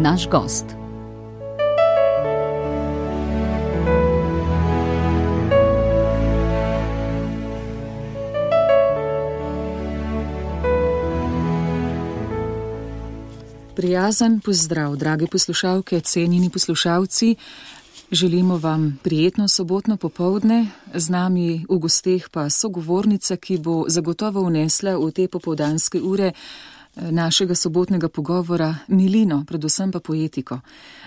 naš gost. Prijazen pozdrav, drage poslušalke, cenjeni poslušalci. Želimo vam prijetno sobotno popoldne, z nami v gosteh pa sogovornica, ki bo zagotovo vnesla v te popoldanske ure našega sobotnega pogovora milino, predvsem pa poetiko.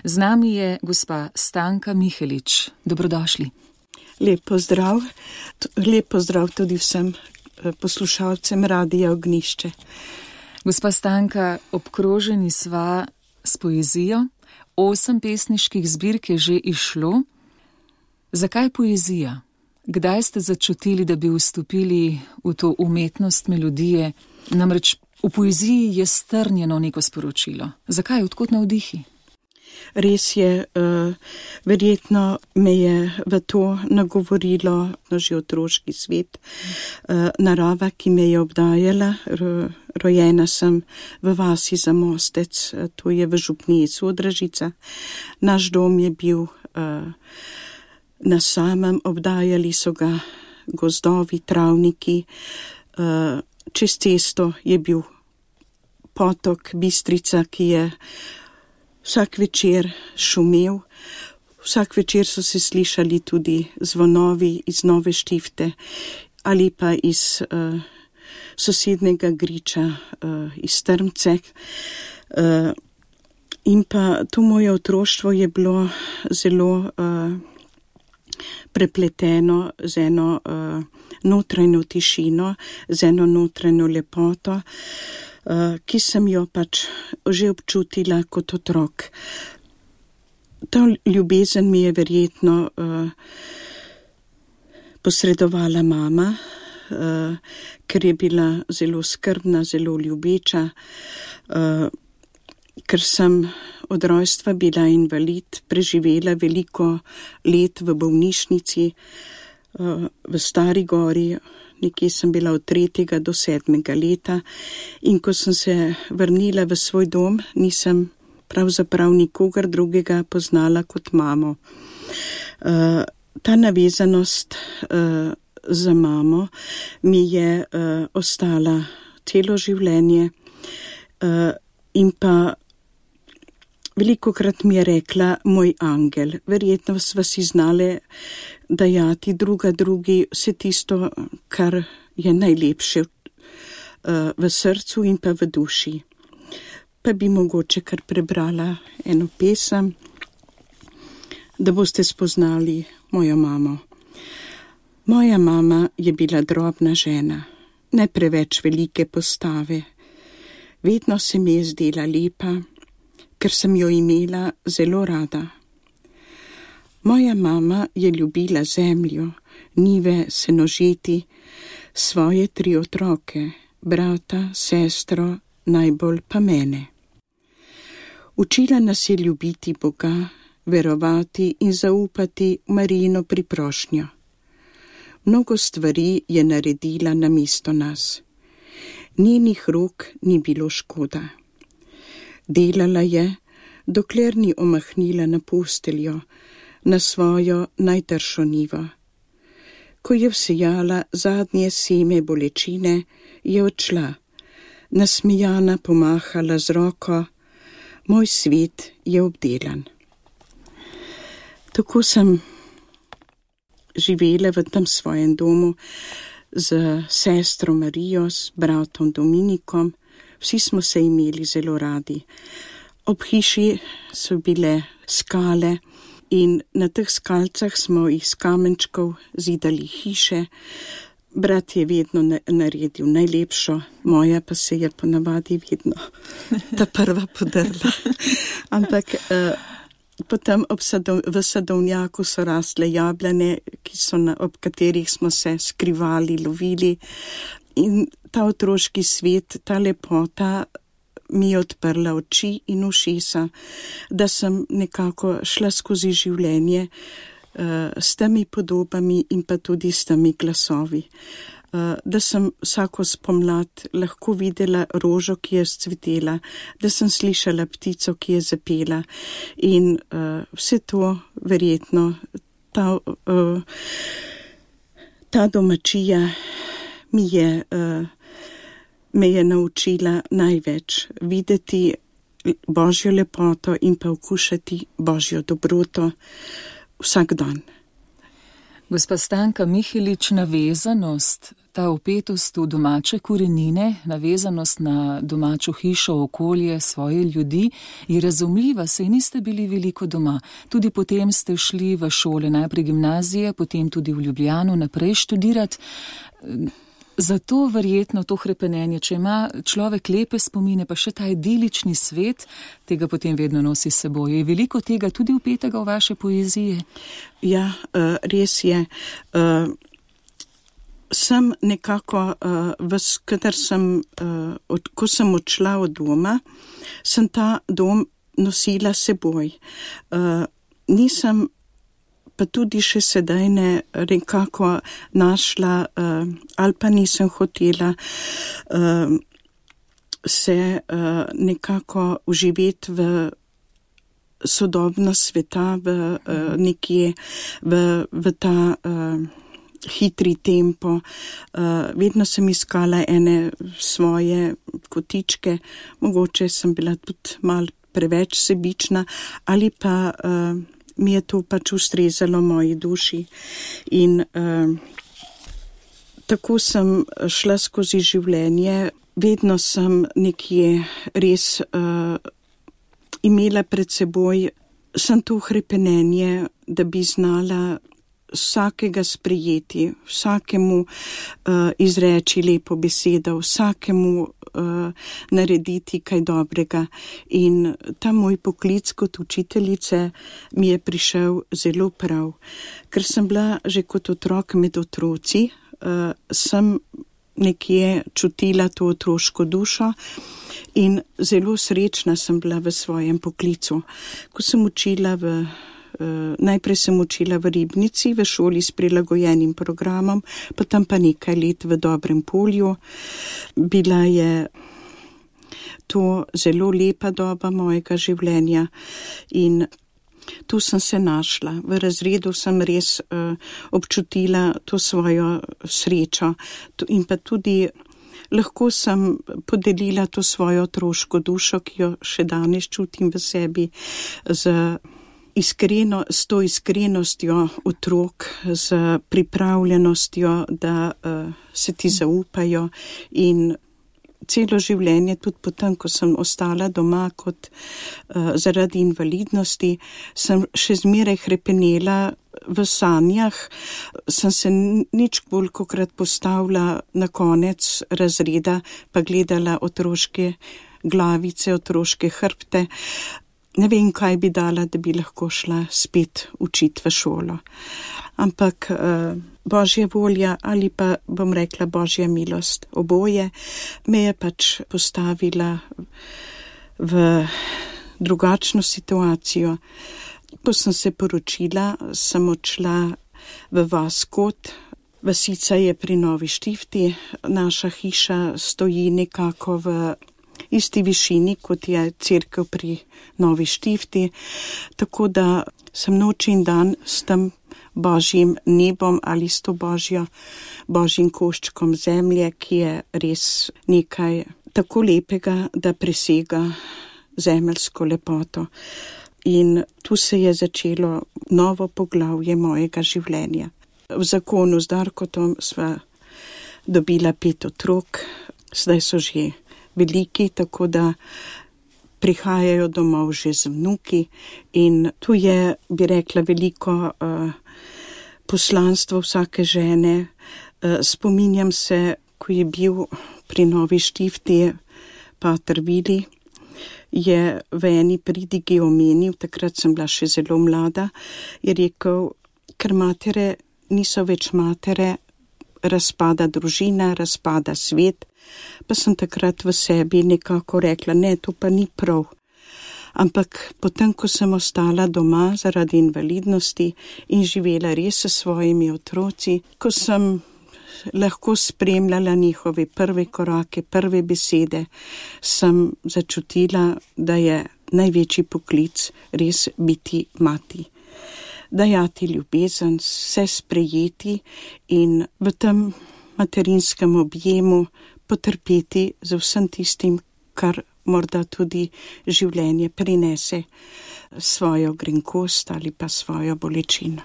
Z nami je gospa Stanka Mihelič. Dobrodošli. Lep pozdrav tudi vsem poslušalcem Radia Ognjišče. Gospa Stanka, obkroženi sva s poezijo. 8 pesniških zbirk je že izšlo. Zakaj poezija? Kdaj ste začutili, da bi vstopili v to umetnost melodije? Namreč v poeziji je strnjeno neko sporočilo. Zakaj? Odkot navdihi? Res je, verjetno me je v to nagovorilo že otroški svet, narava, ki me je obdajala. Rojena sem v vasi Zamostec, to je v župniji Sodražica. Naš dom je bil na samem, obdajali so ga gozdovi, travniki. Čez cesto je bil potok Bistrica, ki je vsak večer šumel. Vsak večer so se slišali tudi zvonovi iz Nove Štifte ali pa iz sosednega griča, iz Trmce. In pa to moje otroštvo je bilo zelo prepleteno z eno notranjo tišino, z eno notranjo lepoto, ki sem jo pač že občutila kot otrok. Ta ljubezen mi je verjetno posredovala mama, ker je bila zelo skrbna, zelo ljubeča, ker sem od rojstva bila invalid, preživela veliko let v bolnišnici v Stari Gori. Nekje sem bila od 3. do 7. leta in ko sem se vrnila v svoj dom, nisem pravzaprav nikogar drugega poznala kot mamo. Ta navezanost za mamo mi je ostala celo življenje in pa velikokrat mi je rekla moj angel. Verjetno sva si znale dajati druga drugi vse tisto, kar je najlepše v srcu in pa v duši. Pa bi mogoče kar prebrala eno pesem, da boste spoznali mojo mamo. Moja mama je bila drobna žena, ne preveč velike postave. Vedno se mi je zdela lepa, ker sem jo imela zelo rada. Moja mama je ljubila zemljo, njive, senožeti, svoje 3 otroke, brata, sestro, najbolj pa mene. Učila nas je ljubiti Boga, verovati in zaupati v Marijino priprošnjo. Mnogo stvari je naredila namesto nas. Njenih rok ni bilo škoda. Delala je, dokler ni omahnila na posteljo, na svojo najtršo njivo. Ko je vsejala zadnje seme bolečine, je odšla, nasmejana pomahala z roko, moj svet je obdelan. Tako sem živela v tem svojem domu z sestro Marijo, s bratom Dominikom. Vsi smo se imeli zelo radi. Ob hiši so bile skale in na teh skalcah smo iz kamenčkov zidali hiše. Brat je vedno naredil najlepšo, moja pa se je ponavadi vedno ta prva podrla. Ampak potem v sadovnjaku so rasle jablane, ob katerih smo se skrivali, lovili. In ta otroški svet, ta lepota mi je odprla oči in ušesa, da sem nekako šla skozi življenje s temi podobami in pa tudi s temi glasovi. da sem vsako spomlad lahko videla rožo, ki je vzcvetela, da sem slišala ptico, ki je zapela in vse to verjetno ta domačija me je naučila največ videti Božjo lepoto in pa okušati Božjo dobroto vsak dan. Gospa Stanka Mihelič, navezanost, ta vpetost v domače korenine, navezanost na domačo hišo, okolje, svoje ljudi, je razumljiva, saj niste bili veliko doma. Tudi potem ste šli v šole, najprej gimnazije, potem tudi v Ljubljano naprej študirati. Zato verjetno to hrepenenje, če ima človek lepe spomine, pa še ta idilični svet, tega potem vedno nosi s seboj. Je veliko tega tudi vpetega v vaše poezije? Ja, res je. Sem nekako, ko sem odšla od doma, sem ta dom nosila seboj. Nisem pa tudi še sedaj ne nekako našla ali pa nisem hotela se nekako uživeti v sodobno sveta, nekje v ta hitri tempo. Vedno sem iskala ene svoje kotičke, mogoče sem bila tudi malo preveč sebična ali pa mi je to pač ustrezalo moji duši in tako sem šla skozi življenje. Vedno sem nekje res imela pred seboj sem to hrepenenje, da bi znala vsakega sprejeti, vsakemu izreči lepo besedo, vsakemu narediti kaj dobrega. In ta moj poklic kot učiteljice mi je prišel zelo prav, ker sem bila že kot otrok med otroci, sem nekje čutila to otroško dušo in zelo srečna sem bila v svojem poklicu. Ko sem učila najprej sem učila v Ribnici, v šoli s prilagojenim programom, potem pa nekaj let v Dobrem Polju. Bila je to zelo lepa doba mojega življenja in tu sem se našla. V razredu sem res občutila to svojo srečo in pa tudi lahko sem podelila to svojo otroško dušo, ki jo še danes čutim v sebi, s to iskrenostjo otrok, z pripravljenostjo, da se ti zaupajo in celo življenje, tudi potem, ko sem ostala doma kot zaradi invalidnosti, sem še zmeraj hrepenela v sanjah, sem se nič bolj kokrat postavila na konec razreda, pa gledala otroške glavice, otroške hrbte. Ne vem, kaj bi dala, da bi lahko šla spet učiti v šolo. Ampak Božja volja ali pa bom rekla Božja milost, oboje me je pač postavila v drugačno situacijo. Ko sem se poročila, sem odšla v vas Kot. Vasica je pri Novi Štifti, naša hiša stoji nekako v isti višini, kot je cerkev pri Novi Štifti, tako da sem noč in dan s tem Božjim nebom ali s to Božjim koščkom zemlje, ki je res nekaj tako lepega, da presega zemeljsko lepoto. In tu se je začelo novo poglavje mojega življenja. V zakonu z Darkotom sva dobila 5 otrok, zdaj so že veliki, tako da prihajajo domov že z vnuki in tu je, bi rekla, veliko poslanstvo vsake žene. Spominjam se, ko je bil pri Novi Štifti pater Vili, je v eni pridigi omenil, takrat sem bila še zelo mlada, je rekel, ker matere niso več matere, razpada družina, razpada svet, pa sem takrat v sebi nekako rekla, ne, to pa ni prav. Ampak potem, ko sem ostala doma zaradi invalidnosti in živela res s svojimi otroci, ko sem lahko spremljala njihove prve korake, prve besede, sem začutila, da je največji poklic res biti mati. Dajati ljubezen, vse sprejeti in v tem materinskem objemu potrpeti za vsem tistim, kar morda tudi življenje prinese, svojo grenkost ali pa svojo bolečino.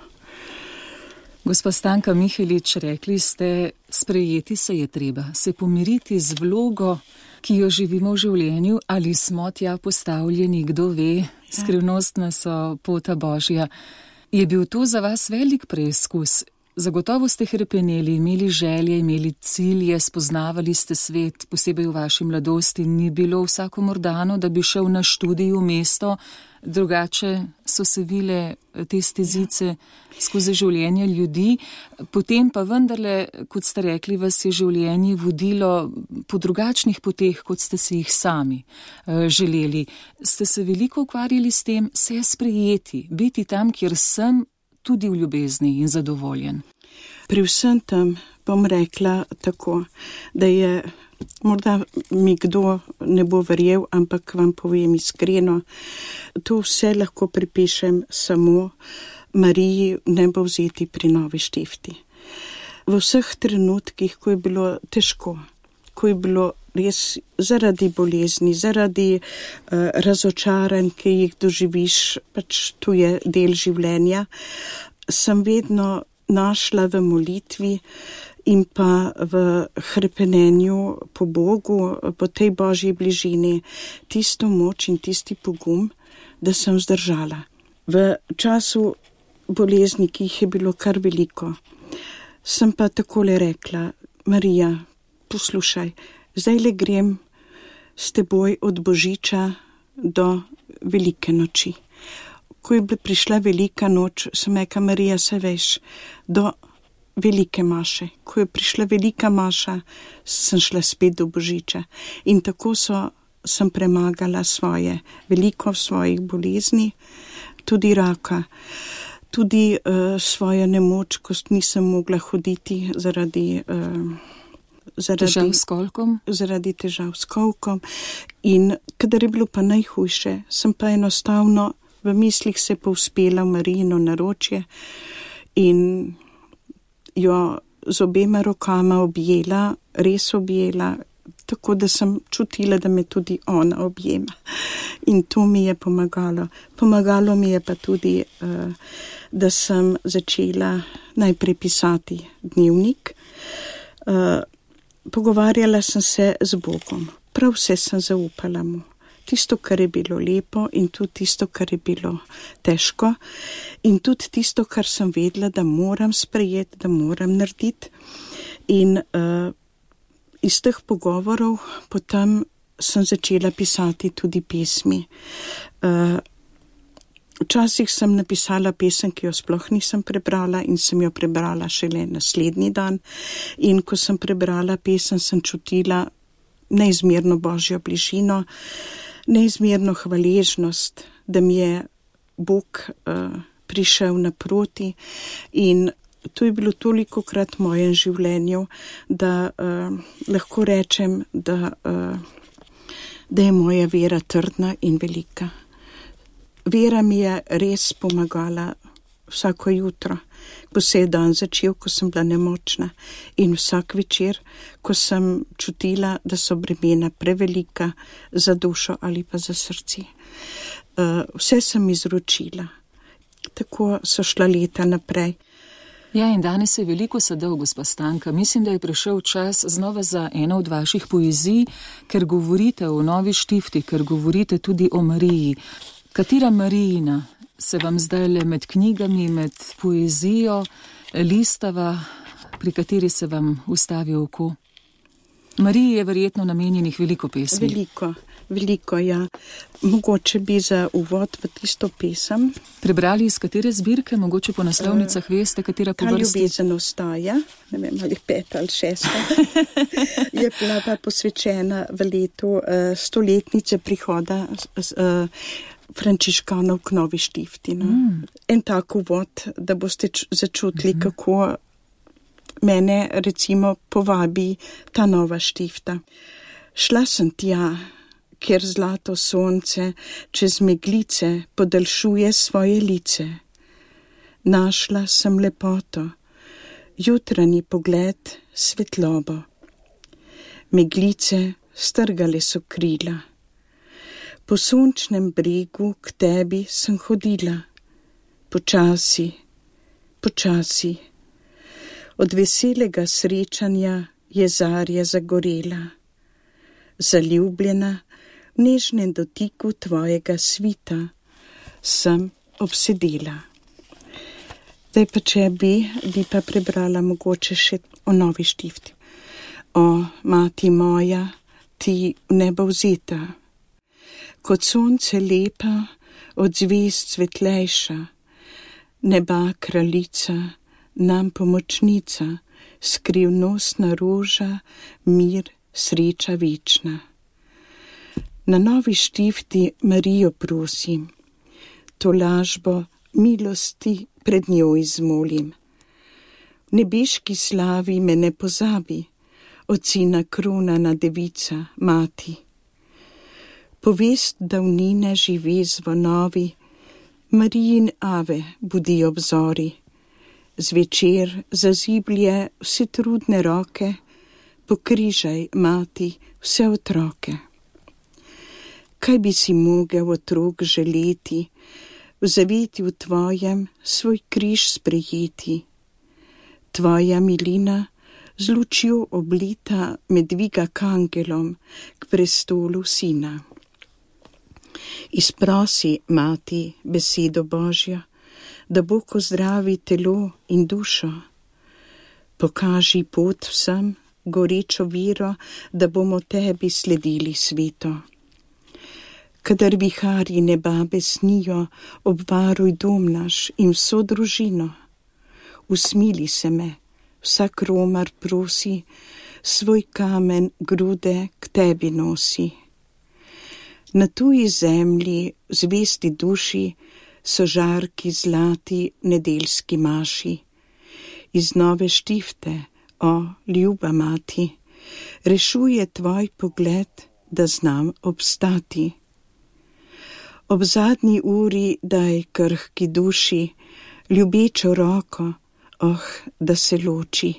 Gospa Stanka Mihelič, rekli ste, sprejeti se je treba, se pomiriti z vlogo, ki jo živimo v življenju, ali smo tja postavljeni, kdo ve, skrivnostna so pota Božja. Je bil to za vas velik preizkus? Zagotovo ste hrepeneli, imeli želje, imeli cilje, spoznavali ste svet, posebej v vaši mladosti. Ni bilo vsakomur dano, da bi šel na študij v mesto, drugače so se vile te stezice skozi življenje ljudi. Potem pa vendarle, kot ste rekli, vas je življenje vodilo po drugačnih poteh, kot ste si jih sami želeli. Ste se veliko ukvarjali s tem, se sprejeti, biti tam, kjer sem, tudi v ljubezni in zadovoljen. Pri vsem tem bom rekla tako, da je, morda mi kdo ne bo verjel, ampak vam povem iskreno, to vse lahko pripišem samo Mariji Nebovzeti pri Novi Štifti. V vseh trenutkih, ko je bilo težko, ko je bilo res zaradi bolezni, zaradi razočaranj, ki jih doživiš, pač tu je del življenja, sem vedno našla v molitvi in pa v hrepenenju po Bogu, po tej Božji bližini, tisto moč in tisti pogum, da sem zdržala. V času bolezni, ki jih je bilo kar veliko, sem pa takole rekla, Marija, poslušaj, zdaj le grem s teboj od Božiča do velike noči. Ko je prišla velika noč, sem rekla, Marija, se veš, do velike maše. Ko je prišla velika maša, sem šla spet do Božiča. In tako sem premagala veliko svojih bolezni, tudi raka, tudi svojo nemoč, ko nisem mogla hoditi zaradi težav s kolkom. Zaradi težav s kolkom. In kadar je bilo pa najhujše, sem pa enostavno v mislih se povzpela v Marijino naročje in jo z obema rokama objela, res objela, tako da sem čutila, da me tudi ona objema. In to mi je pomagalo. Pomagalo mi je pa tudi, da sem začela najprej pisati dnevnik. Pogovarjala sem se z Bogom. Prav vse sem zaupala mu. Tisto, kar je bilo lepo in tudi tisto, kar je bilo težko in tudi tisto, kar sem vedela, da moram sprejeti, da moram narediti. In iz teh pogovorov potem sem začela pisati tudi pesmi. Včasih sem napisala pesem, ki jo sploh nisem prebrala in sem jo prebrala šele naslednji dan. In ko sem prebrala pesem, sem čutila neizmerno Božjo bližino, neizmerno hvaležnost, da mi je Bog prišel naproti in to je bilo tolikokrat v mojem življenju, da lahko rečem, da je moja vera trdna in velika. Vera mi je res pomagala vsako jutro, ko se je dan začel, ko sem bila nemočna in vsak večer, ko sem čutila, da so bremena prevelika za dušo ali pa za srce. Vse sem izročila. Tako so šla leta naprej. Ja, in danes je veliko sadov, gospa Stanka. Mislim, da je prišel čas znova za eno od vaših poezij, ker govorite o Novi Štifti, ker govorite tudi o Mariji. Katera Marijina se vam zdaj le med knjigami, med poezijo listava, pri kateri se vam ustavi oko? Mariji je verjetno namenjenih veliko pesmi. Veliko, ja. Mogoče bi za uvod v tisto pesem. Prebrali iz katere zbirke, mogoče po naslovnicah veste, katera po vrsti? Ta ljubezen ostaja, ne vem, ali 5 ali 6. Je bila pa posvečena v letu stoletnice prihoda frančiškanov k Novi Štifti. En tak uvod, da boste začutili, kako mene recimo povabi ta nova štifta. Šla sem tja, kjer zlato sonce čez meglice podaljšuje svoje lice. Našla sem lepoto, jutranji pogled, svetlobo. Meglice strgale so krila. Po sončnem bregu k tebi sem hodila. Počasi, počasi. Od veselega srečanja je zarja zagorela. Zaljubljena v nežnem dotiku tvojega svita sem obsedela. Zdaj pa če bi pa prebrala mogoče še o novi štifti. O, mati moja, ti nebovzeta, kot sonce lepa, od zvezd svetlejša, neba kraljica, nam pomočnica, skrivnostna roža, mir, sreča večna. Na novi štifti Marijo prosim, to lažbo milosti pred njo izmolim. V nebeški slavi me ne pozabi, od sina kronana devica, mati. Povest davnine živi zvonovi, Marijin ave budi obzori. Zvečer zaziblje vse trudne roke, pokrižaj, mati, vse otroke. Kaj bi si mogel otrok želeti, v zavetju tvojem svoj križ sprejeti? Tvoja milina z lučjo oblita me dviga k angelom, k prestolu sina. Izprosi, mati, besedo Božjo, da Bog ozdravi telo in dušo. Pokaži pot vsem, gorečo vero, da bomo tebi sledili sveto. Kadar viharji neba besnijo, obvaruj dom naš in vso družino. Usmili se me, vsak romar prosi, svoj kamen grude k tebi nosi. Na tuji zemlji, zvesti duši, so žarki zlati v nedeljski maši. Iz nove štifte, o, ljuba mati, rešuje tvoj pogled, da znam obstati. Ob zadnji uri daj krhki duši, ljubečo roko, da se loči.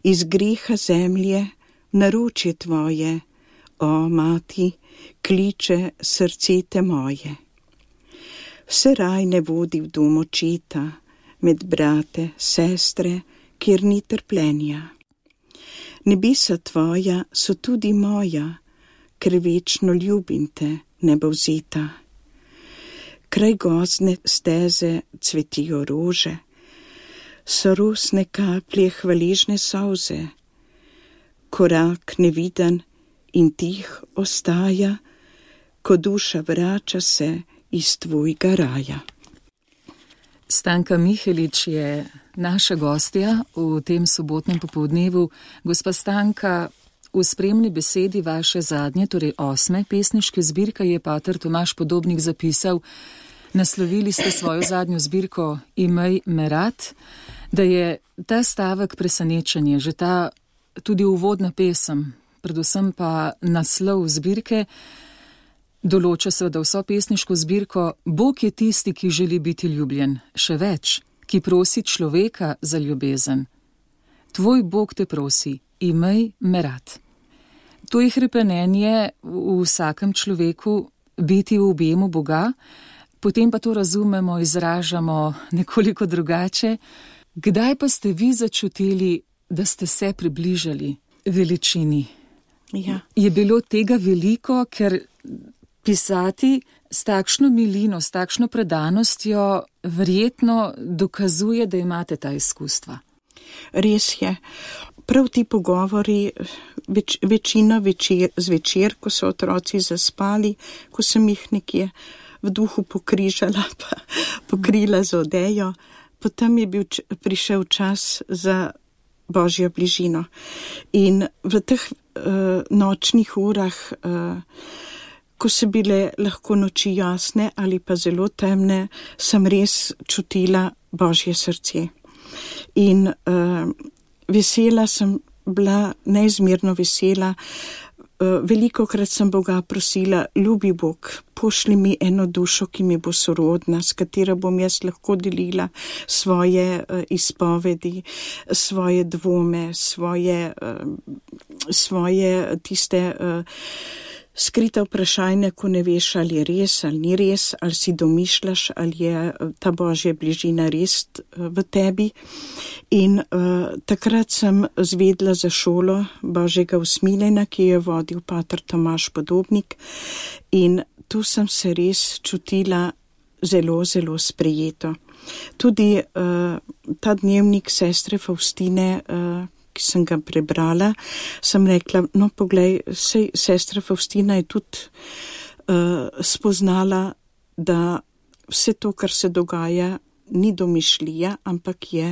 Iz greha zemlje v naročje tvoje, o, mati, kliče srce te moje. Vse raj ne vodi v dom očeta, med brate, sestre, kjer ni trpljenja. Nebesa tvoja so tudi moja, ker večno ljubim te, nebovzeta. Kraj gozdne steze cvetijo rože, so rosne kaplje hvaležne solze. Korak neviden in tih ostaja, ko duša vrača se iz tvojega raja. Stanka Mihelič je naša gostja v tem sobotnem popoldnevu. Gospa Stanka, v spremni besedi vaše zadnje, torej 8. pesniške zbirke je pater Tomaž Podobnik zapisal, naslovili ste svojo zadnjo zbirko Imej me rad, da je ta stavek presenečenje, že ta tudi uvodna pesem, predvsem pa naslov zbirke, določa seveda vso pesniško zbirko. Bog je tisti, ki želi biti ljubljen, še več, ki prosi človeka za ljubezen. Tvoj Bog te prosi, imej me rad. To je hrepenenje v vsakem človeku, biti v objemu Boga, potem pa to razumemo, izražamo nekoliko drugače. Kdaj pa ste vi začutili, da ste se približali veličini? Ja. Je bilo tega veliko, ker pisati s takšno milino, s takšno predanostjo verjetno dokazuje, da imate ta izkustva. Res je. Prav ti pogovori, večina zvečer, ko so otroci zaspali, ko sem jih nekje v duhu pokrižala, pa pokrila z odejo, potem je prišel čas za Božjo bližino. In v teh nočnih urah, ko so bile lahko noči jasne ali pa zelo temne, sem res čutila Božje srce. In vesela sem bila, neizmerno vesela. Velikokrat sem Boga prosila, ljubi Bog, pošli mi eno dušo, ki mi bo sorodna, s katero bom jaz lahko delila svoje izpovedi, svoje dvome, svoje tiste skrita vprašanja, ko ne veš, ali je res ali ni res, ali si domišljaš, ali je ta Božja bližina res v tebi. In takrat sem zvedla za šolo Božjega usmiljenja, ki je vodil pater Tomaž Podobnik, in tu sem se res čutila zelo, zelo sprejeto. Tudi ta dnevnik sestre Faustine, ki sem ga prebrala, sem rekla, no poglej, sestra Faustina je tudi spoznala, da vse to, kar se dogaja, ni domišljija, ampak je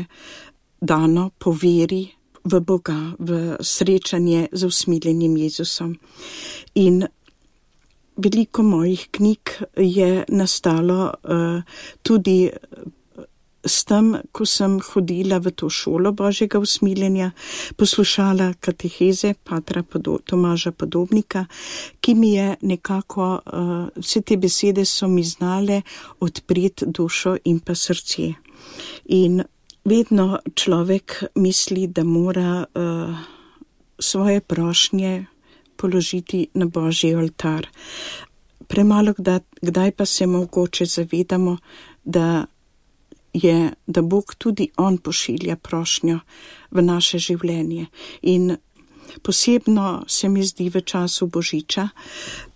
dano po veri v Boga, v srečanje z usmiljenim Jezusom. In veliko mojih knjig je nastalo tudi s tem, ko sem hodila v to šolo Božjega usmiljenja, poslušala kateheze patra Tomaža Podobnika, ki mi je nekako, vse te besede so mi znale odpreti dušo in pa srce. In vedno človek misli, da mora svoje prošnje položiti na Božji oltar. Premalo kdaj pa se mogoče zavedamo, da Bog tudi On pošilja prošnjo v naše življenje. In posebno se mi zdi v času Božiča,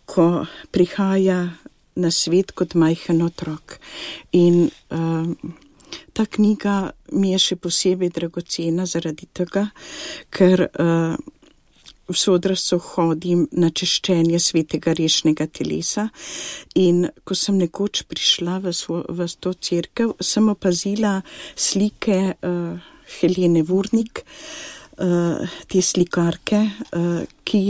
ko prihaja na svet kot majhen otrok. In ta knjiga mi je še posebej dragocena zaradi tega, ker v sodrascu hodim na češčenje svetega rešnega telesa, in ko sem nekoč prišla v to cerkev, sem opazila slike Helene Vurnik, te slikarke, ki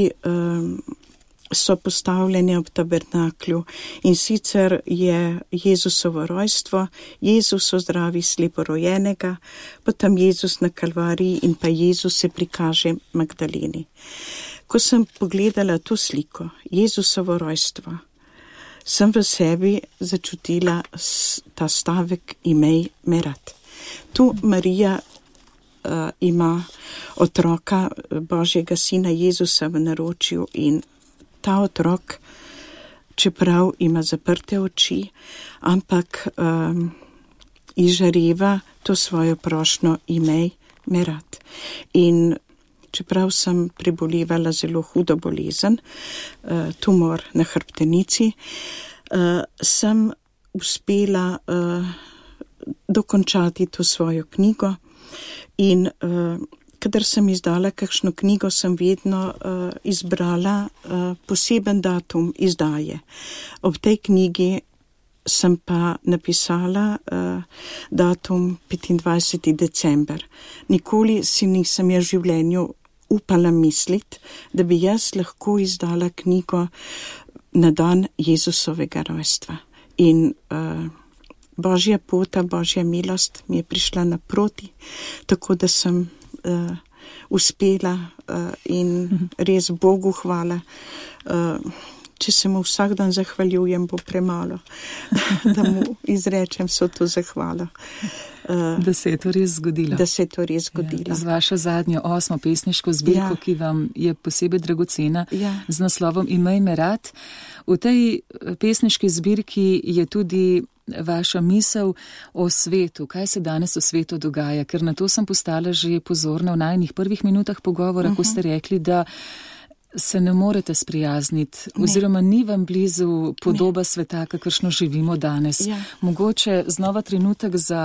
so postavljene ob tabernaklju, in sicer je Jezusovo rojstvo, Jezus ozdravi sleporojenega, potem Jezus na Kalvariji in pa Jezus se prikaže Magdaleni. Ko sem pogledala to sliko, Jezusovo rojstvo, sem v sebi začutila ta stavek imej me rad. Tu Marija ima otroka Božjega sina Jezusa v naročju, in ta otrok, čeprav ima zaprte oči, ampak izžareva to svojo prošnjo imej me rad. In čeprav sem prebolevala zelo hudo bolezen, tumor na hrbtenici, sem uspela dokončati to svojo knjigo, in kadar sem izdala kakšno knjigo, sem vedno izbrala poseben datum izdaje. Ob tej knjigi sem pa napisala datum 25. december. Nikoli si nisem v življenju upala misliti, da bi jaz lahko izdala knjigo na dan Jezusovega rojstva. In Božja pota, Božja milost mi je prišla naproti, tako da sem uspela in res Bogu hvala. Če se mu vsak dan zahvaljujem, bo premalo, da mu izrečem vso to zahvalo. Da se je to res zgodilo. Da se je to res zgodilo. Ja, z vašo zadnjo 8. pesniško zbirko, ki vam je posebej dragocena, z naslovom Imej me rad. V tej pesniški zbirki je tudi vaša misel o svetu, kaj se danes v svetu dogaja, ker na to sem postala že pozorna v najnih prvih minutah pogovora, ko ste rekli, da se ne morete sprijazniti, oziroma ni vam blizu podoba sveta, kakršno živimo danes. Mogoče znova trenutek za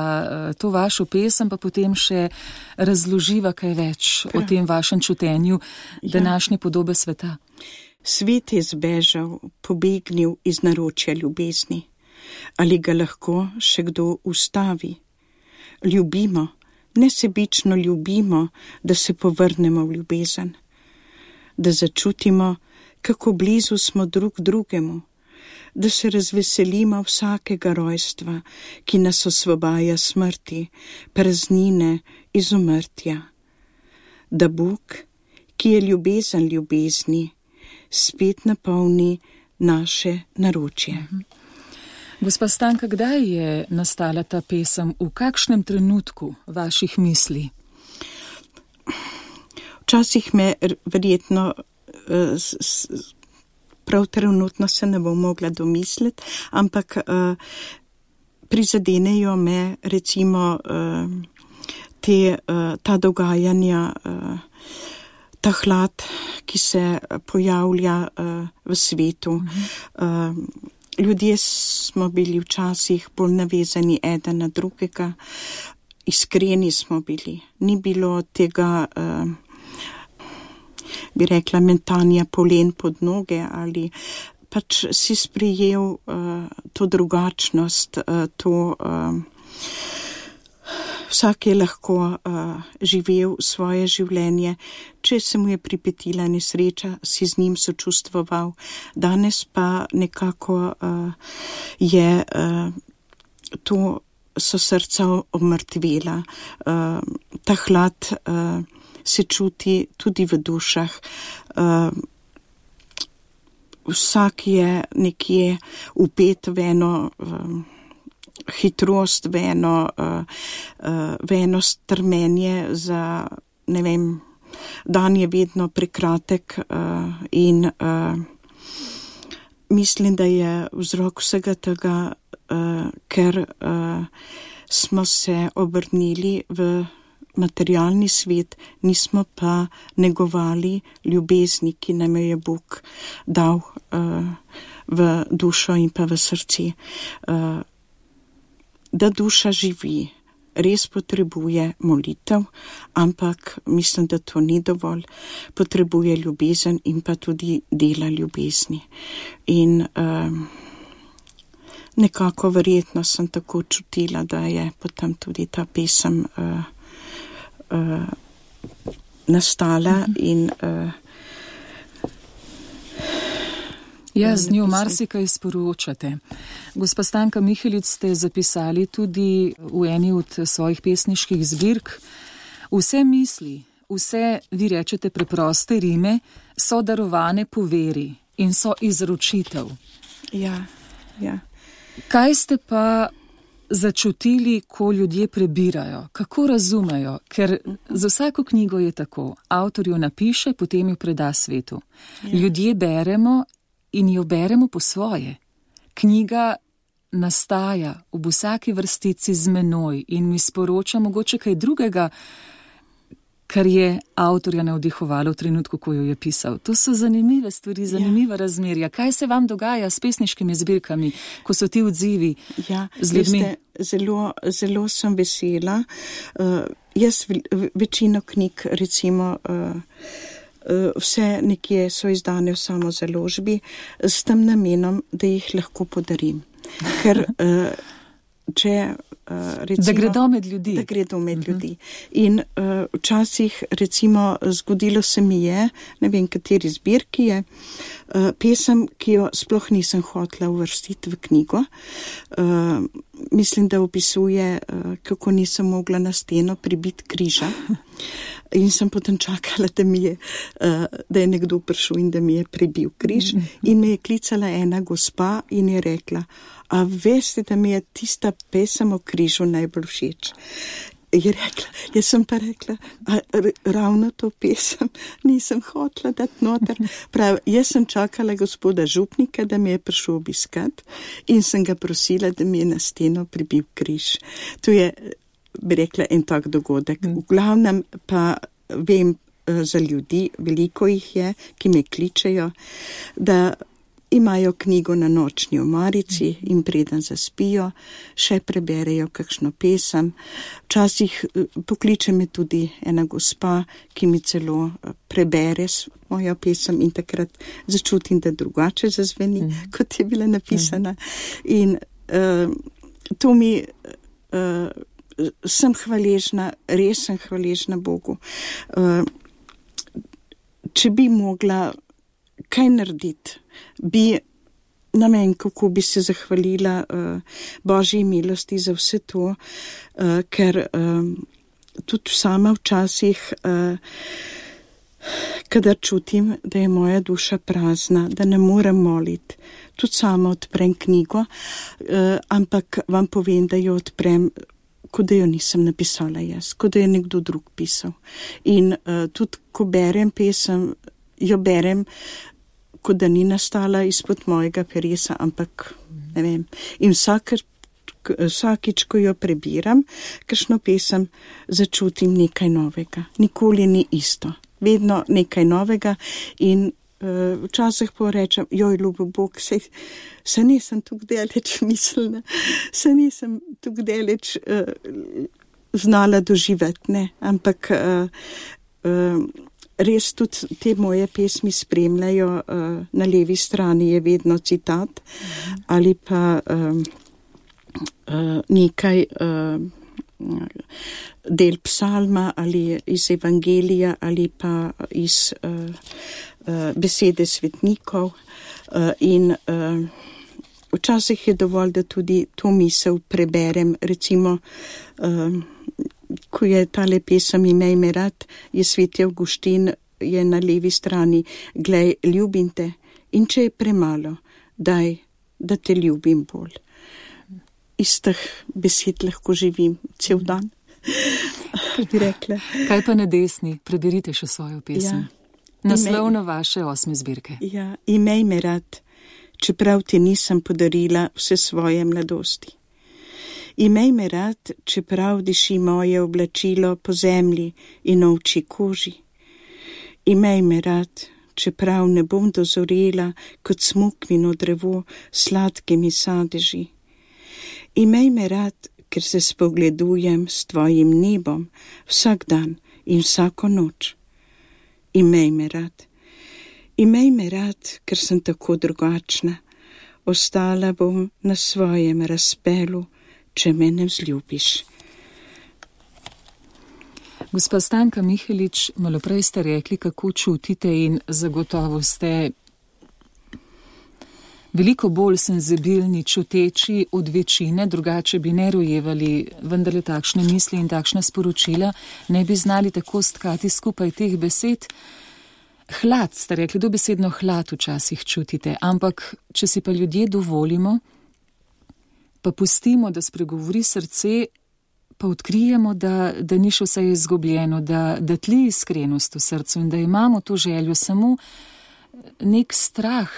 to vašo pesem, pa potem še razloživa kaj več o tem vašem čutenju današnje podobe sveta. Svet je zbežal, pobegnil iz naročja ljubezni. Ali ga lahko še kdo ustavi? Ljubimo, nesebično ljubimo, da se povrnemo v ljubezen. Da začutimo, kako blizu smo drug drugemu, da se razveselimo vsakega rojstva, ki nas osvobaja smrti, praznine, izumrtja. da Bog, ki je ljubezen ljubezni, spet napolni naše naročje. Gospa Stanka, kdaj je nastala ta pesem, v kakšnem trenutku vaših misli? Včasih me verjetno prav trenutno se ne bom mogla domisliti, ampak prizadenejo me recimo ta dogajanja, ta hlad, ki se pojavlja v svetu. Ljudje smo bili včasih bolj navezani eden na drugega, iskreni smo bili. Ni bilo tega, bi rekla, mentanja polen pod noge ali pač si sprejel to drugačnost, vsak je lahko živel svoje življenje, če se mu je pripetila nesreča, si z njim sočustvoval. Danes pa nekako je so srca omrtvela. Ta hlad se čuti tudi v dušah. Vsak je nekje upet v eno hitrost, v eno strmenje za, ne vem, dan je vedno prekratek in mislim, da je vzrok vsega tega, ker smo se obrnili v materialni svet, nismo pa negovali ljubezni, ki nam je Bog dal v dušo in pa v srce. Da duša živi, res potrebuje molitev, ampak mislim, da to ni dovolj. Potrebuje ljubezen in pa tudi dela ljubezni. In nekako verjetno sem tako čutila, da je potem tudi ta pesem nastala in z njo marsikaj sporočate. Gospa Stanka Mihelič, ste zapisali tudi v eni od svojih pesniških zbirk: vse misli, vse, vi rečete, preproste rime, so darovane po veri in so izročitev. Ja. Kaj ste pa začutili, ko ljudje prebirajo? Kako razumejo? Ker za vsako knjigo je tako. Avtor jo napiše, potem jo preda svetu. Ljudje beremo in jo beremo po svoje. Knjiga nastaja ob vsaki vrstici z menoj in mi sporoča mogoče kaj drugega, kar je avtorja navdihovalo v trenutku, ko jo je pisal. To so zanimive stvari, zanimiva razmerja. Kaj se vam dogaja s pesniškimi zbirkami, ko so ti odzivi z ljudmi? Zelo sem vesela. Jaz večino knjig, recimo, vse nekje so izdane v samozaložbi s tem namenom, da jih lahko podarim. Ker recimo, da gredo med ljudi. Da gredo med ljudi. In včasih, recimo, zgodilo se mi je, ne vem, kateri zbirki je, pesem, ki jo sploh nisem hotela uvrstiti v knjigo. Mislim, da opisuje, kako nisem mogla na steno pribiti križa. In sem potem čakala, da je nekdo prišel in da mi je prebil križ. In me je klicala ena gospa in je rekla: a veste, da mi je tista pesem o križu najbolj všeč? Je rekla, jaz sem pa rekla, ravno to pesem nisem hotela dati noter. Prav, jaz sem čakala gospoda župnika, da mi je prišel obiskat in sem ga prosila, da mi je na steno pribil križ. To je, bi rekla, en tak dogodek. V glavnem pa vem za ljudi, veliko jih je, ki me kličejo, da imajo knjigo na nočni omarici in preden zaspijo, še preberejo kakšno pesem. Včasih pokliče me tudi ena gospa, ki mi celo prebere mojo pesem in takrat začutim, da drugače zazveni, kot je bila napisana. In to mi sem hvaležna, res sem hvaležna Bogu. Če bi mogla kaj narediti, ne vem, kako bi se zahvalila Božji milosti za vse to, ker tudi sama včasih, kadar čutim, da je moja duša prazna, da ne morem moliti, tudi sama odprem knjigo, ampak vam povem, da jo odprem, kot da jo nisem napisala jaz, kot da je nekdo drug pisal. In tudi, ko berem pesem, jo berem, kot da ni nastala izpod mojega peresa, ampak ne vem. In vsakič, ko jo prebiram, kakšno pesem, začutim nekaj novega. Nikoli ni isto. Vedno nekaj novega in včasih porečem, joj, ljubo Bog, se nisem tukaj daleč mislila, se nisem tukaj daleč znala doživeti, ne, ampak res tudi te moje pesmi spremljajo, na levi strani je vedno citat ali pa nekaj del psalma ali iz evangelija ali pa iz besede svetnikov in včasih je dovolj, da tudi to misel preberem, recimo ko je tale pesem Imej me rad, je sveti Avguštin, je na levi strani, glej, ljubim te in če je premalo, daj, da te ljubim bolj. Iz teh besed lahko živim cel dan, bi rekla. Kaj pa na desni? Preberite še svojo pesem. Ja. Naslovno vaše 8. zbirke. Ja, imej me rad, čeprav ti nisem podarila vse svoje mladosti. Imej me rad, čeprav diši moje oblačilo po zemlji in ovčji koži. Imej me rad, čeprav ne bom dozorela kot smokvino drevo sladkimi sadeži. Imej me rad, ker se spogledujem s tvojim nebom vsak dan in vsako noč. Imej me rad. Imej me rad, ker sem tako drugačna. Ostala bom na svojem razpelu, če me ne vzljubiš. Gospa Stanka Mihelič, malo prej ste rekli, kako čutite in zagotovo ste veliko bolj senzibilni, čuteči od večine, drugače bi ne rojevali vendarle takšne misli in takšna sporočila, ne bi znali tako stkati skupaj teh besed. Hlad, ste rekli, dobesedno hlad včasih čutite, ampak če si pa ljudje dovolimo, pa pustimo, da spregovori srce, pa odkrijemo, da ni še vse izgubljeno, da tli iskrenost v srcu in da imamo to željo, samo nek strah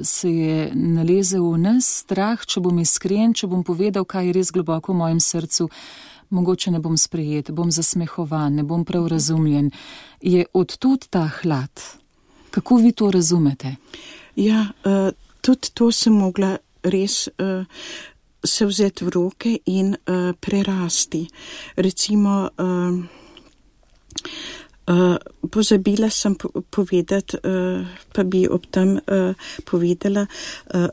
se je nalezel v nas, strah, če bom iskren, če bom povedal, kaj je res globoko v mojem srcu, mogoče ne bom sprejet, bom zasmehovan, ne bom prav razumljen. Je odtud ta hlad? Kako vi to razumete? Ja, tudi to sem mogla res se vzeti v roke in prerasti. Recimo, pozabila sem povedati, pa bi ob tem povedala,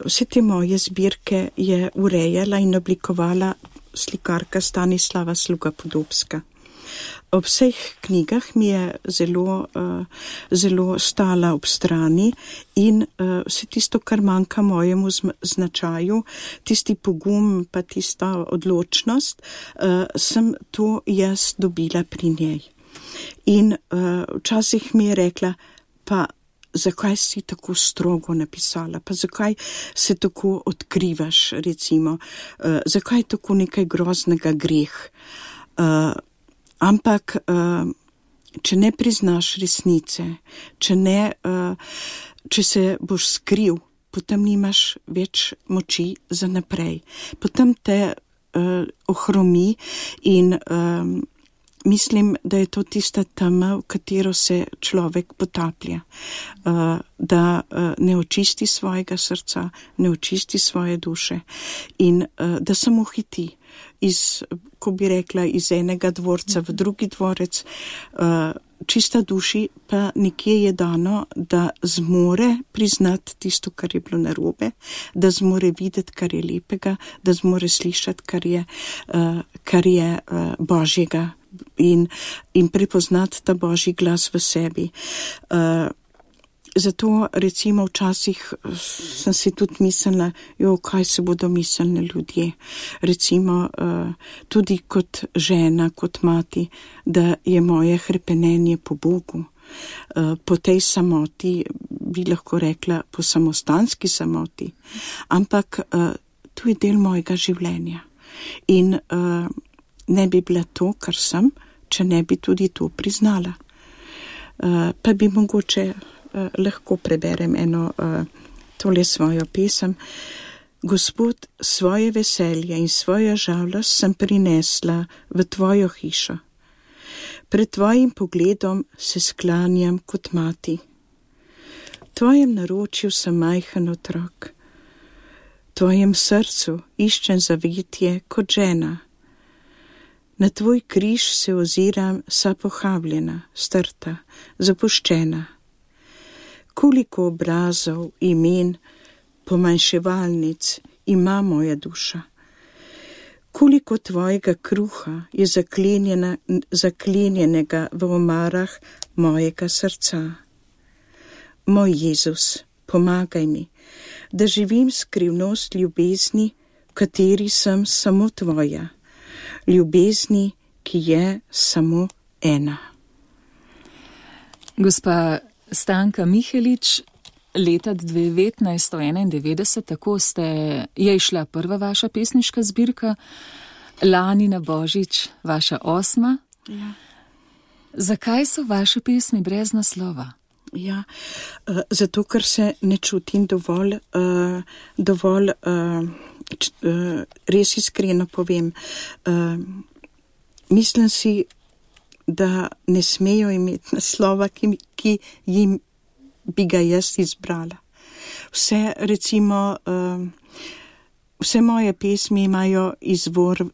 vse te moje zbirke je urejala in oblikovala slikarka Stanislava Sluga-Podobska. Ob vseh knjigah mi je zelo stala ob strani in vse tisto, kar manjka mojemu značaju, tisti pogum pa tista odločnost, sem to jaz dobila pri njej. In včasih mi je rekla, pa zakaj si tako strogo napisala, pa zakaj se tako odkrivaš, recimo, zakaj tako nekaj groznega greh. Ampak, če ne priznaš resnice, če se boš skril, potem nimaš več moči za naprej. Potem te ohromi in mislim, da je to tista tema, v katero se človek potaplja, da ne očisti svojega srca, ne očisti svoje duše in da samo hiti ko bi rekla, iz enega dvorca v drugi dvorec, čista duši pa nekje je dano, da zmore priznati tisto, kar je bilo narobe, da zmore videti, kar je lepega, da zmore slišati, kar je Božjega in prepoznati ta Božji glas v sebi. Zato recimo včasih sem si tudi mislila, kaj se bodo mislili ljudje. Recimo tudi kot žena, kot mati, da je moje hrepenenje po Bogu. Po tej samoti, bi lahko rekla, po samostanski samoti, ampak to je del mojega življenja. In ne bi bila to, kar sem, če ne bi tudi to priznala. Pa bi mogoče lahko preberem tole svojo pesem. Gospod, svoje veselje in svojo žalost sem prinesla v tvojo hišo. Pred tvojim pogledom se sklanjam kot mati. Tvojem naročju sem majhen otrok. Tvojem srcu iščem zavetje kot žena. Na tvoj križ se oziram sa pohabljena, strta, zapuščena. Koliko obrazov, imen, pomanjševalnic ima moja duša. Koliko tvojega kruha je zaklenjenega v omarah mojega srca. Moj Jezus, pomagaj mi, da živim skrivnost ljubezni, v kateri sem samo tvoja. Ljubezni, ki je samo ena. Gospa Stanka Mihelič, leta 1991, tako je išla prva vaša pesniška zbirka, lani na Božič vaša 8. Ja. Zakaj so vaše pesmi brez naslova? Ja, zato, ker se ne čutim dovolj, res iskreno povem. Mislim si, da ne smejo imeti naslova, ki jim bi ga jaz izbrala. Vse moje pesmi imajo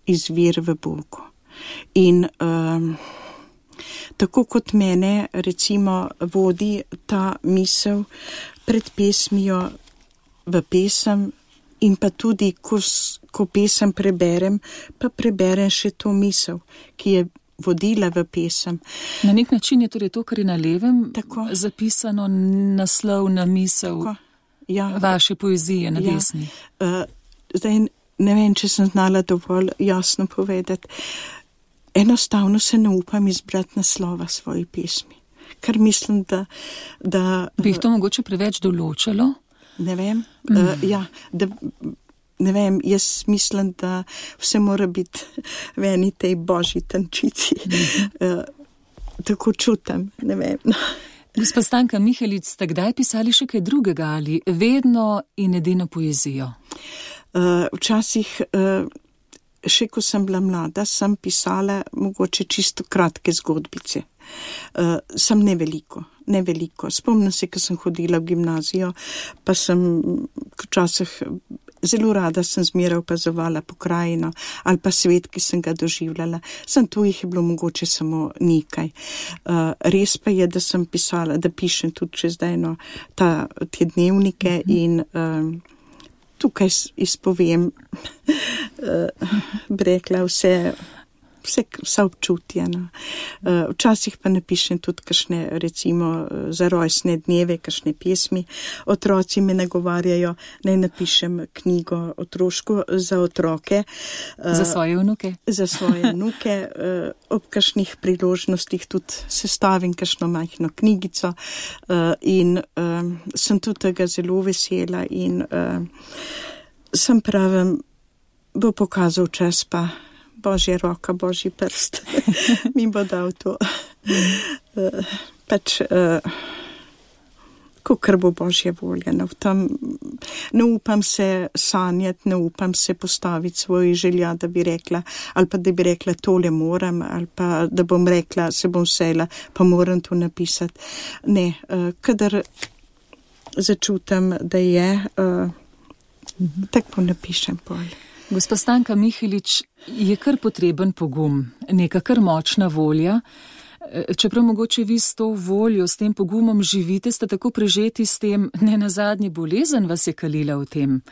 izvir v Bogu. In tako kot mene recimo vodi ta misel pred pesmijo v pesem in pa tudi, ko pesem preberem, pa preberem še to misel, ki je vodila v pesem. Na nek način je torej to, kar je na levem, tako zapisano naslov na misel vaše poezije na desni. Zdaj ne vem, če sem znala dovolj jasno povedati. Enostavno se ne upam izbrati naslova svoji pesmi, ker mislim, da bi jih to mogoče preveč določalo? Ne vem, ne vem, jaz mislim, da vse mora biti v eni tej božji tančici. Tako čutim, ne vem. Gospa Stanka Mihelič, ste kdaj pisali še kaj drugega ali vedno in edino poezijo? Včasih, še ko sem bila mlada, sem pisala mogoče čisto kratke zgodbice. Sem ne veliko. Spomnim se, ko sem hodila v gimnazijo, pa sem včasih zelo rada sem zmeraj opazovala pokrajino ali pa svet, ki sem ga doživljala. Tu jih je bilo mogoče samo nekaj. Res pa je, da sem pisala, da pišem tudi čez dajno te dnevnike in tukaj izpovem, bi rekla, vsa občutja. Včasih pa napišem tudi kakšne, recimo, za rojstne dneve, kakšne pesmi. Otroci me nagovarjajo, naj napišem knjigo otroško za otroke. Za svoje vnuke? Za svoje vnuke. Ob kakšnih priložnostih tudi sestavim kakšno majhno knjigico in sem tudi tega zelo vesela in sem pravim, bo pokazal čas pa Božja roka, Božji prst, mi bo dal to. Kakor bo Božja volja. Ne upam se sanjati, ne upam se postaviti svoji želja, da bi rekla, ali pa da bi rekla, tole moram, ali pa da bom rekla, se bom sejla, pa moram to napisati. Ne, kadar začutam, da je, tako napišem bolj. Gospa Stanka Mihelič, je kar potreben pogum, neka kar močna volja, Čeprav mogoče vi s to voljo, s tem pogumom živite, ste tako prežeti s tem, ne nazadnje bolezen vas je kalila v tem.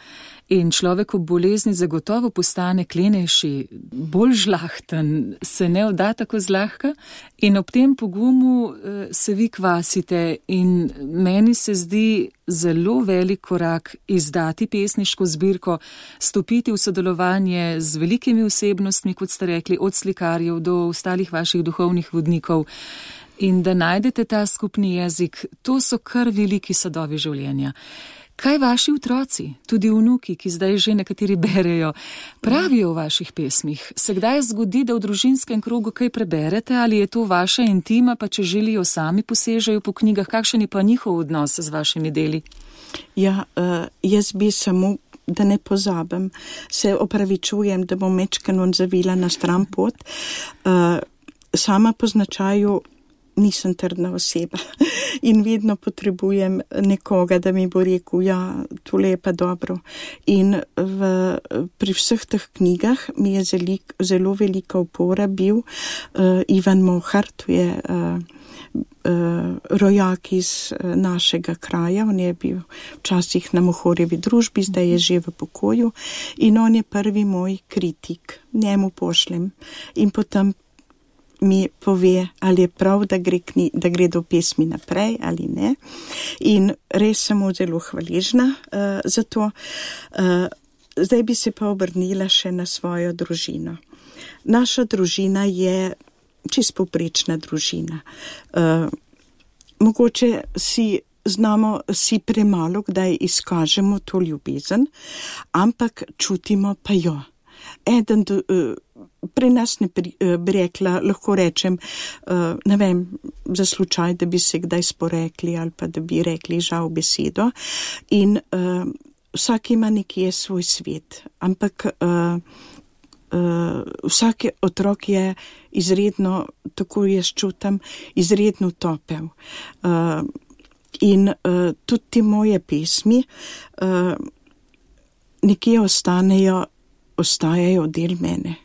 In človek ob bolezni zagotovo postane klenejši, bolj žlahten, se ne odda tako zlahka in ob tem pogumu se vi kvasite in meni se zdi zelo velik korak izdati pesniško zbirko, stopiti v sodelovanje z velikimi osebnostmi, kot ste rekli, od slikarjev do ostalih vaših duhovnih vodnikov in da najdete ta skupni jezik, to so kar veliki sadovi življenja. Kaj vaši otroci, tudi vnuki, ki zdaj že nekateri berejo, pravijo v vaših pesmih? Se kdaj zgodi, da v družinskem krogu kaj preberete ali je to vaša intima, pa če želijo sami posežejo po knjigah, kakšen je pa njihov odnos z vašimi deli? Ja, jaz bi samo, da ne pozabim, se opravičujem, da bom mečkeno zavila na stran pot. Sama po značaju nisem trdna oseba in vedno potrebujem nekoga, da mi bo rekel, ja, tole je pa dobro. In pri vseh teh knjigah mi je zelo velika opora bil Ivan Mohar, to je rojak iz našega kraja, on je bil včasih na Mohorjevi družbi, zdaj je že v pokoju in on je prvi moj kritik, njemu pošljem in potem mi pove, ali je prav, da gre do pesmi naprej ali ne. In res sem mu zelo hvaležna za to. Zdaj bi se pa obrnila še na svojo družino. Naša družina je čisto povprečna družina. Mogoče si premalo, kdaj izkažemo to ljubezen, ampak čutimo pa jo. Pri nas ne bi rekla, lahko rečem, ne vem, za slučaj, da bi se kdaj sporekli ali pa da bi rekli žal besedo in vsak ima nekje svoj svet, ampak vsak otrok je izredno, tako jaz čutam, izredno topel. In tudi te moje pesmi nekje ostajajo del mene.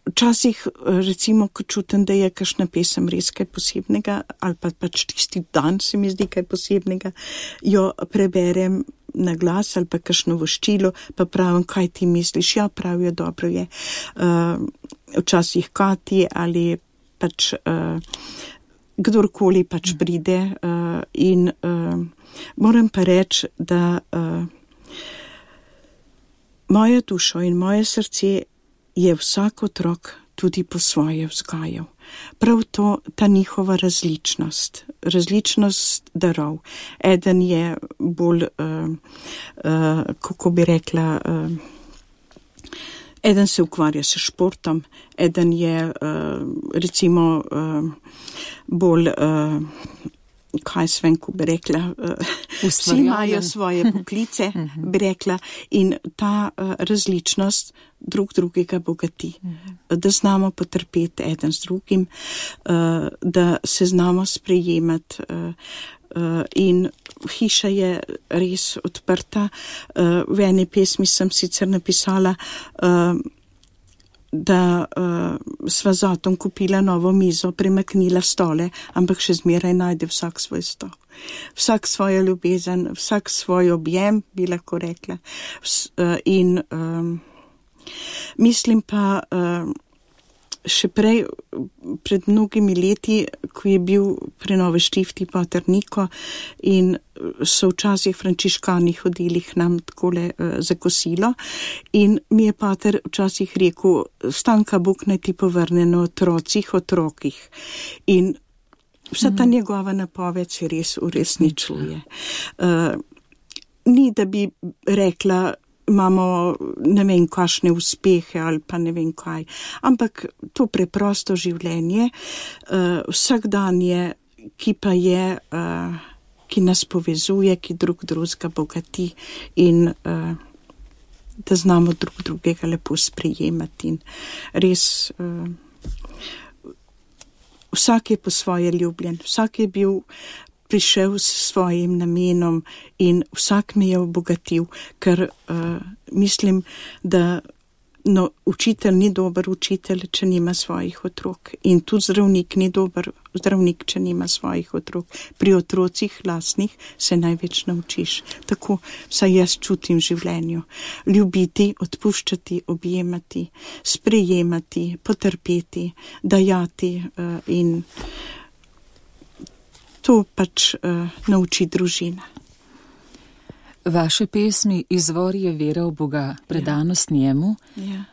Včasih, recimo, ko čutim, da je kakšna pesem res kaj posebnega, ali pa pač tisti dan se mi zdi kaj posebnega, jo preberem na glas ali pa kakšno voščilo, pa pravim, kaj ti misliš, ja, pravijo, dobro je. Včasih Kati ali pač kdorkoli pač pride in moram pa reči, da moja dušo in moje srce je vsak otrok tudi po svoje vzgajal. Prav to, ta njihova različnost darov. Eden je bolj, kako bi rekla, eden se ukvarja s športom, eden je recimo bolj, kaj svem, ko bi rekla, vsi imajo svoje poklice, bi rekla, in ta različnost drug drugega bogati. Da znamo potrpeti eden z drugim, da se znamo sprejemati in hiša je res odprta. V eni pesmi sem sicer napisala, da sva z Otom kupila novo mizo, premaknila stole, ampak še zmeraj najde vsak svoj stol. Vsak svojo ljubezen, vsak svoj objem, bi lahko rekla. In mislim pa še prej, pred mnogimi leti, ko je bil pri Nove Štifti pater Niko in so včasih frančiškani hodili k nam takole za kosilo in mi je pater včasih rekel, Stanka, Bog naj ti povrne na otrokih. In vsa ta njegova napoved se res uresničuje. Ni, da bi rekla, imamo ne vem kakšne uspehe ali pa ne vem kaj, ampak to preprosto življenje, vsakdanje, ki pa je, ki nas povezuje, ki drug drugega bogati in da znamo drug drugega lepo sprejemati in res vsak je po svoje ljubljen, vsak je prišel s svojim namenom in vsak me je obogatil, ker mislim, da No, učitelj ni dober učitelj, če nima svojih otrok. In tudi zdravnik ni dober zdravnik, če nima svojih otrok. Pri otrocih lastnih se največ naučiš. Tako vsaj jaz čutim v življenju. Ljubiti, odpuščati, objemati, sprejemati, potrpeti, dajati in to pač nauči družina. Vaše pesmi izvor je vera v Boga, predanost njemu. Ja.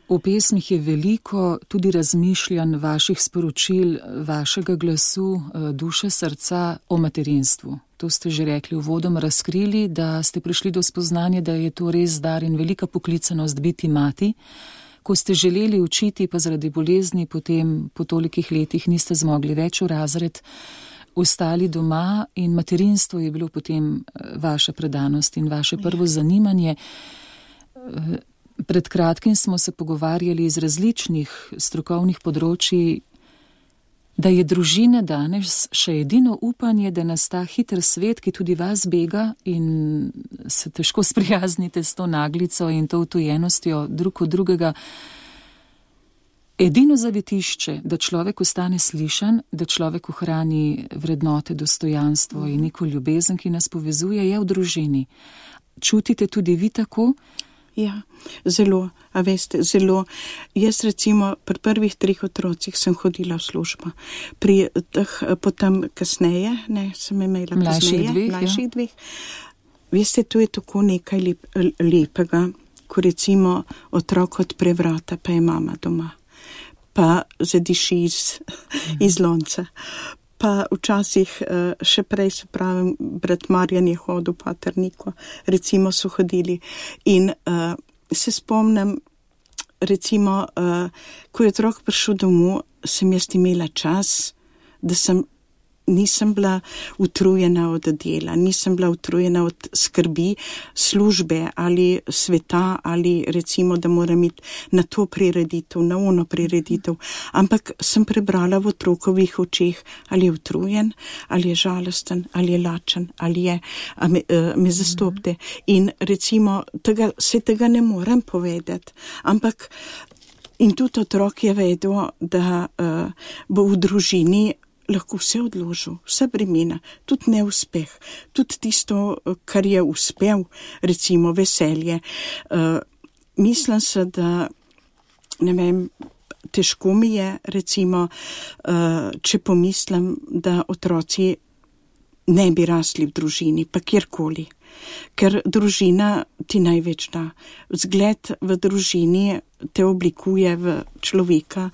V pesmih je veliko tudi razmišljanj vaših sporočil, vašega glasu, duše, srca o materinstvu. To ste že rekli uvodoma, razkrili, da ste prišli do spoznanja, da je to res dar in velika poklicanost biti mati. Ko ste želeli učiti, pa zaradi bolezni potem po tolikih letih niste zmogli več v razred, ostali doma in materinstvo je bilo potem vaša predanost in vaše prvo zanimanje. Pred kratkim smo se pogovarjali iz različnih strokovnih področji, da je družina danes še edino upanje, da nas ta hiter svet, ki tudi vas bega in se težko sprijaznite s to naglico in to utojenostjo drug od drugega, edino zavetišče, da človek ostane slišan, da človek ohrani vrednote, dostojanstvo in neko ljubezen, ki nas povezuje, je v družini. Čutite tudi vi tako? Ja, zelo, a veste, zelo. Jaz recimo pri prvih 3 otrocih sem hodila v službo. Pri teh potem kasneje, sem imela mlajših dveh. Veste, to je tako nekaj lepega, ko recimo otrok odpre vrata, pa je mama doma. Pa zadiši iz lonca. Pa včasih še prej, se pravim, brat Marjan je hodil v Paterniku, recimo so hodili. In se spomnim, recimo, ko je otrok prišel domov, sem jaz imela čas, da nisem bila utrujena od dela, nisem bila utrujena od skrbi službe ali sveta ali recimo, da moram iti na to prireditev, na ono prireditev, ampak sem prebrala v otrokovih očeh, ali je utrujen, ali je žalosten, ali je lačen, ali je, me zastopte. In recimo, tega ne morem povedati, ampak in tudi otrok je vedel, da bo v družini lahko vse odložil, vse bremena, tudi neuspeh, tudi tisto, kar je uspel, recimo veselje. Mislim se, da, ne vem, težko mi je, recimo, če pomislim, da otroci ne bi rasli v družini, pa kjerkoli. Ker družina ti največ da. Vzgled v družini te oblikuje v človeka,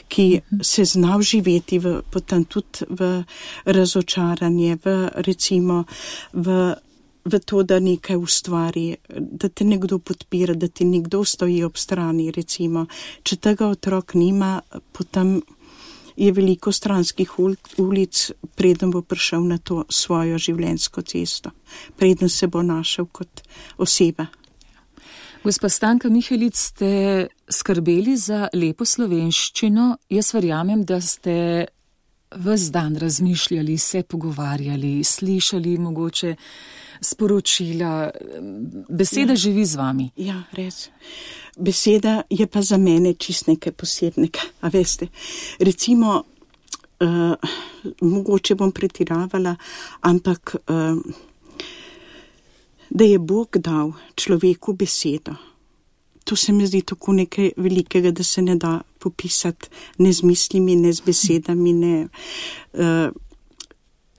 ki se zna vživeti potem tudi v razočaranje, recimo v to, da nekaj ustvari, da te nekdo podpira, da ti nekdo stoji ob strani, recimo. Če tega otrok nima, potem je veliko stranskih ulic, preden bo prišel na to svojo življenjsko cesto, preden se bo našel kot oseba. Gospa Stanka Mihelic, ste skrbeli za lepo slovenščino. Jaz verjamem, da ste ves dan razmišljali, se pogovarjali, slišali mogoče sporočila. Beseda živi z vami. Ja, res. Beseda je pa za mene čist nekaj posebnega, a veste. Recimo, mogoče bom pretiravala, ampak da je Bog dal človeku besedo. To se mi zdi tako nekaj velikega, da se ne da popisati ne z mislimi, ne z besedami, ne...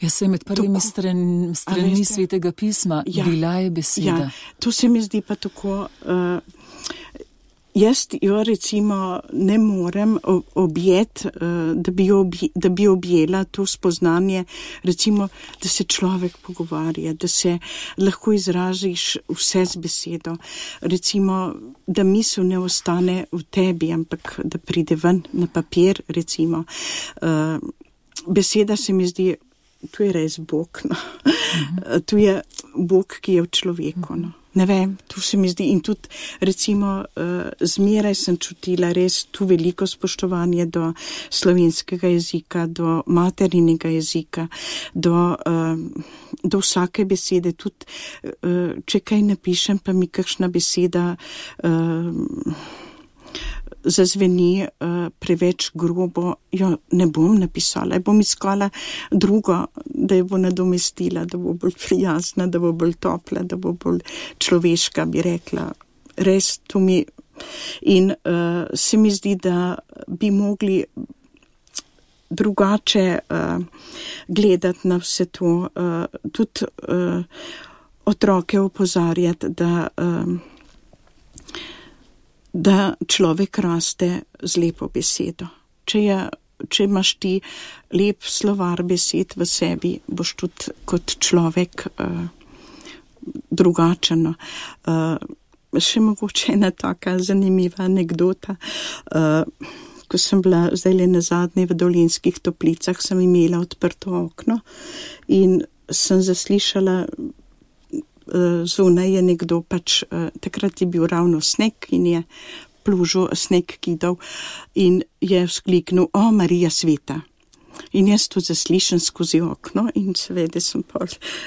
Jaz sem med prvimi strani Svetega pisma, bila je beseda. Ja, to se mi zdi pa tako... Jaz jo recimo ne morem objeti, da bi objela to spoznanje, recimo, da se človek pogovarja, da se lahko izražiš vse z besedo. Recimo, da misel ne ostane v tebi, ampak da pride ven na papir, recimo. Beseda se mi zdi, tu je res Bog, no. Tu je Bog, ki je v človeku, no. Ne vem, tu se mi zdi in tudi recimo zmeraj sem čutila res tu veliko spoštovanje do slovenskega jezika, do materinega jezika, do vsake besede, tudi če kaj napišem, pa mi kakšna beseda zazveni preveč grobo, jo ne bom napisala, bom iskala drugo, da jo bo nadomestila, da bo bolj prijazna, da bo bolj topla, da bo bolj človeška, bi rekla. Res, to mi... In se mi zdi, da bi mogli drugače gledati na vse to, tudi otroke opozarjati, da človek raste z lepo besedo. Če imaš ti lep slovar besed v sebi, boš tudi kot človek drugačen. Še mogoče ena taka zanimiva anekdota. Ko sem bila zdaj nazadnje v Dolenjskih Toplicah, sem imela odprto okno in sem zaslišala, zunaj je nekdo takrat je bil ravno sneg in je plužil sneg kidal in je vzkliknil, o, Marija sveta. In jaz to zaslišam skozi okno in seveda sem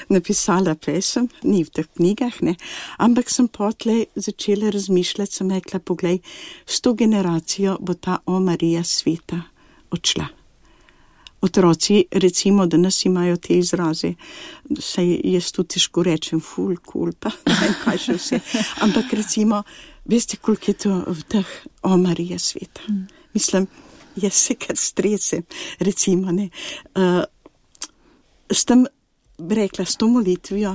napisala pesem, ni v teh knjigah, ne, ampak sem potlej začela razmišljati, sem rekla, poglej, s to generacijo bo ta o Marija sveta odšla. Otroci, recimo, danes imajo te izraze, saj jaz tudi težko rečem, ful, cool, pa ne vem, kaj še vse, ampak recimo, veste, koliko je to v teh o Marija sveta. Mislim, jaz se kar stresem, recimo, ne. S tem, rekla, s to molitvijo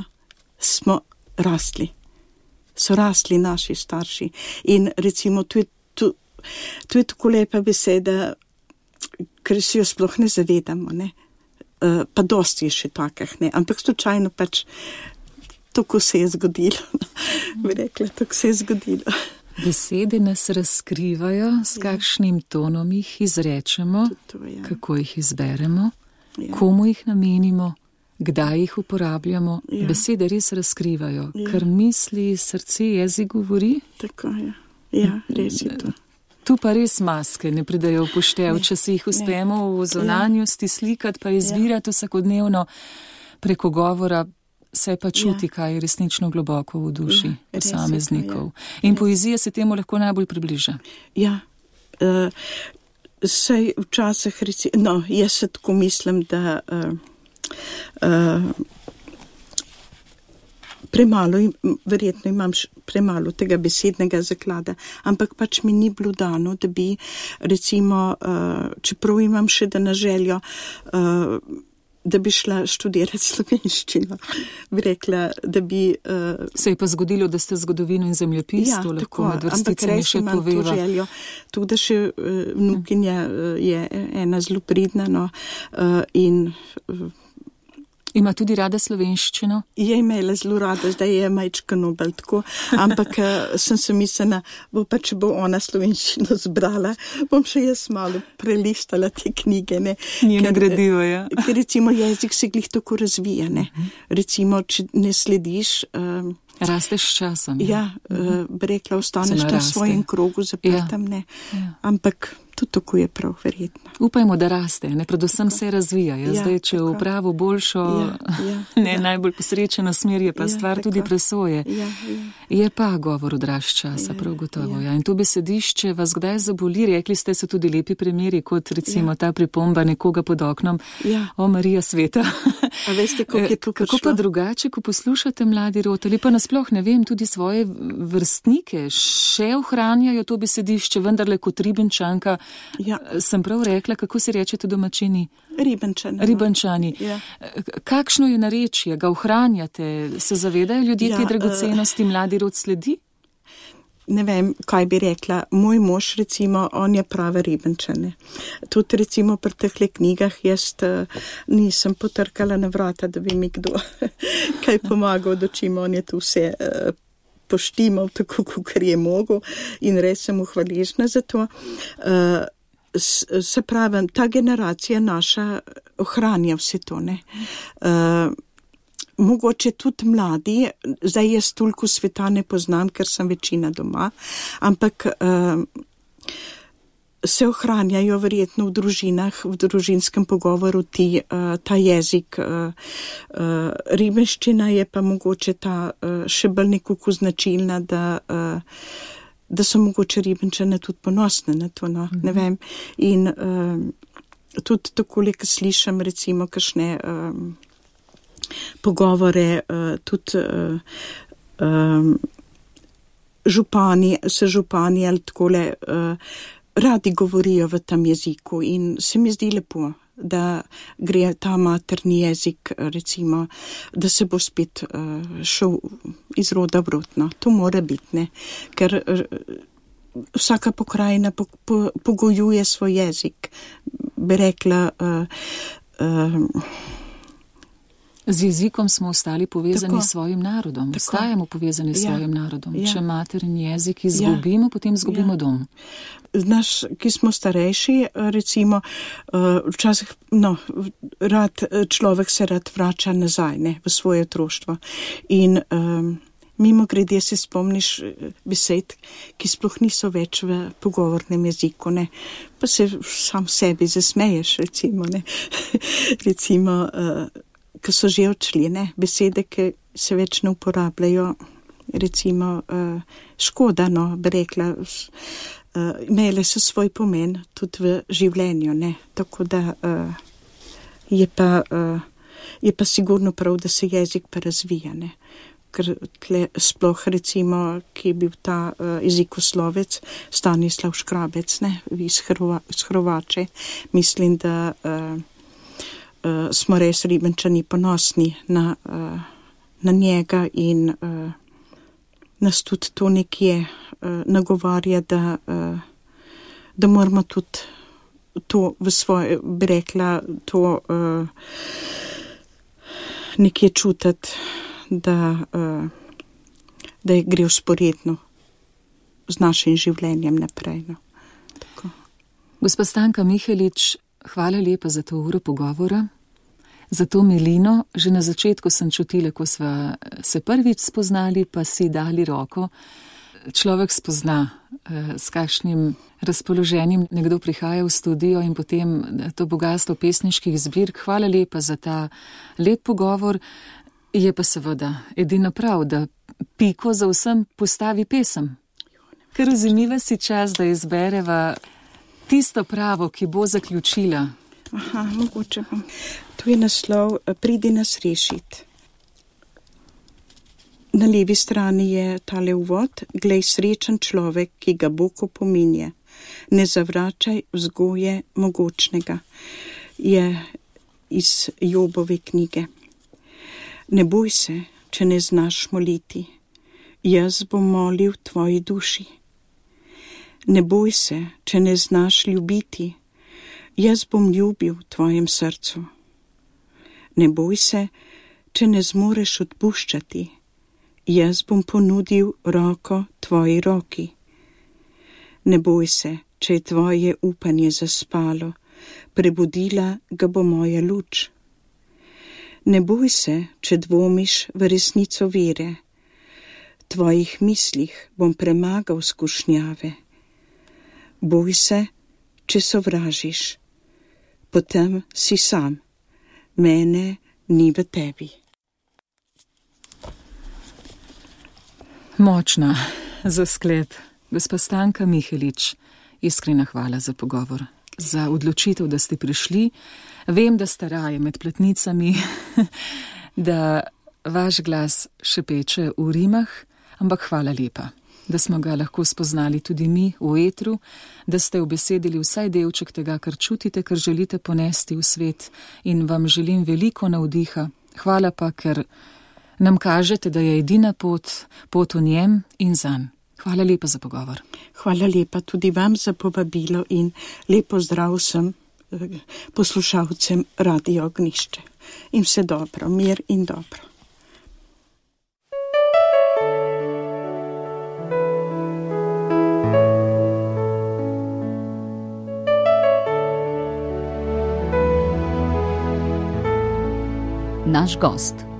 smo rastli. So rastli naši starši. In recimo, to je tako lepa beseda, ker si jo sploh ne zavedamo, ne. Pa dosti je še takih, ne. Ampak slučajno tako se je zgodilo. Bi rekla, tako se je zgodilo. Besede nas razkrivajo, s kakšnim tonom jih izrečemo, kako jih izberemo, komu jih namenimo, kdaj jih uporabljamo. Besede res razkrivajo, kar misli, srce, jezik govori. Tako je, ja, res je to. Tu pa res maske ne pridajo v poštev, če si jih uspemo v zunanjosti slikati, pa izbirati vsakodnevno preko govora, se pa čuti, kaj je resnično globoko v duši posameznikov. In poezija se temu lahko najbolj približa. Ja, saj včasih jaz se tako mislim, da verjetno imam premalo tega besednega zaklada, ampak mi ni bilo dano, da bi recimo, čeprav imam še da na željo, da bi šla študirati slovenščino. Bi rekla, da bi... Se je pa zgodilo, da ste zgodovino in zemljepis, to lahko med vrsticami še poveva. Ampak res imam to željo. Tudi da še vnukinja je ena zelo pridna, in... Ima tudi rada slovenščino? Je imela zelo rada, zdaj je majčkano bolj tako, ampak sem se mislila, če bo ona slovenščino zbrala, bom še jaz malo prelistala te knjige, ne. Njeno gradivo, ja. Ker recimo jezik se glih tako razvija, ne. Recimo, če ne slediš... Rasteš s časom. Ja, bi rekla, ostaneš na svojem krogu zaprtem, ne. Ampak... Tudi tako je prav, verjetno. Upajmo, da raste, ne, predvsem se razvija. Zdaj, če v pravo boljšo, najbolj posrečeno smer je pa stvar tudi presoje. Je pa govor odraž časa, prav gotovo. In to besedišče vas kdaj zaboli, rekli ste se tudi lepi primeri, kot recimo ta pripomba nekoga pod oknom, o Marija sveta. A veste, kako je to prišlo? Kako pa drugače, ko poslušate mladi rod, ali pa nasploh, ne vem, tudi svoje vrstnike še ohranjajo to besedišče, vendarle kot Ribenčanka. Sem prav rekla, kako se rečete domačini? Ribenčani. Kakšno je narečje, ga ohranjate, se zavedajo ljudje te dragocenosti, mladi rod sledi? Ne vem, kaj bi rekla. Moj mož, recimo, on je prava Ribenčane. Tudi recimo pri tehle knjigah jaz nisem potrkala na vrata, da bi mi kdo kaj pomagal, dočim on je tu vse poštimal tako, kakor je mogel in res sem mu hvaležna za to. Se pravim, ta generacija naša ohranja vse to, ne. Mogoče tudi mladi, zdaj jaz toliko sveta ne poznam, ker sem večina doma, ampak se ohranjajo verjetno v družinah, v družinskem pogovoru ta jezik. Ribenščina je pa mogoče ta še bolj nekako značilna, da da so mogoče Ribenčane tudi ponosne na to, no, ne vem. In tudi takole, ko slišam recimo kakšne pogovore, tudi župani ali takole radi govorijo v tem jeziku in se mi zdi lepo, da gre ta materni jezik, recimo, da se bo spet šel iz roda v rod, no. To mora biti, ne, ker vsaka pokrajina pogojuje svoj jezik, bi rekla. Z jezikom smo ostali povezani s svojim narodom, ostajamo povezani s svojim narodom. Če materni jezik izgubimo, potem izgubimo dom. Naš, ki smo starejši, recimo, včasih, človek se rad vrača nazaj, ne, v svoje otroštvo. In mimo grede se spomniš besed, ki sploh niso več v pogovornem jeziku, ne. Pa se sam sebi zasmeješ, recimo, ne. Recimo, ki so že odšli, ne, besede, ki se več ne uporabljajo, recimo, škoda, no, bi rekla, imele so svoj pomen tudi v življenju, ne, tako da je pa sigurno prav, da se jezik pa razvija, ne, ker tle sploh, recimo, ki je bil ta jezikoslovec Stanislav Škrabec, ne, iz Hrovače, mislim, da smo res Ribenčani ponosni na njega in nas tudi to nekje nagovarja, da moramo tudi to v svoje, bi rekla, to nekje čutiti, da gre vzporedno z našim življenjem naprej. No. Tako. Gospa Stanka Mihelič, hvala lepa za to uro pogovora, za to milino. Že na začetku sem čutila, ko sva se prvič spoznali, pa si dali roko. Človek spozna, s kakšnim razpoloženjem nekdo prihaja v studio in potem to bogatstvo pesniških zbirk. Hvala lepa za ta lep pogovor. Je pa seveda edino prav, da piko za vsem postavi pesem. Ker vzemiva si čas, da izbereva tisto pravo, ki bo zaključila. Aha, mogoče bom. To je naslov Pridi nas rešit. Na levi strani je tale uvod: Glej, srečen človek, ki ga Bog opominje. Ne zavračaj vzgoje mogočnega. Je iz Jobove knjige. Ne boj se, če ne znaš moliti. Jaz bom molil tvoji duši. Ne boj se, če ne znaš ljubiti. Jaz bom ljubil tvojem srcu. Ne boj se, če ne zmoreš odpuščati. Jaz bom ponudil roko tvoji roki. Ne boj se, če je tvoje upanje zaspalo. Prebudila ga bo moja luč. Ne boj se, če dvomiš v resnico vere. Tvojih mislih bom premagal skušnjave. Boj se, če sovražiš. Potem si sam. Mene ni v tebi. Močna za sklep. Gospa Stanka Mihelič, iskrena hvala za pogovor, za odločitev, da ste prišli. Vem, da ste raje med platnicami, da vaš glas šepeče v rimah, ampak hvala lepa, da smo ga lahko spoznali tudi mi v etru, da ste ubesedili vsaj delček tega, kar čutite, kar želite ponesti v svet, in vam želim veliko navdiha. Hvala pa, ker nam kažete, da je edina pot v njem in zanj. Hvala lepa za pogovor. Hvala lepa tudi vam za povabilo in lepo zdrav vsem poslušalcem Radio Ognišče. In vse dobro, mir in dobro. Naš gost.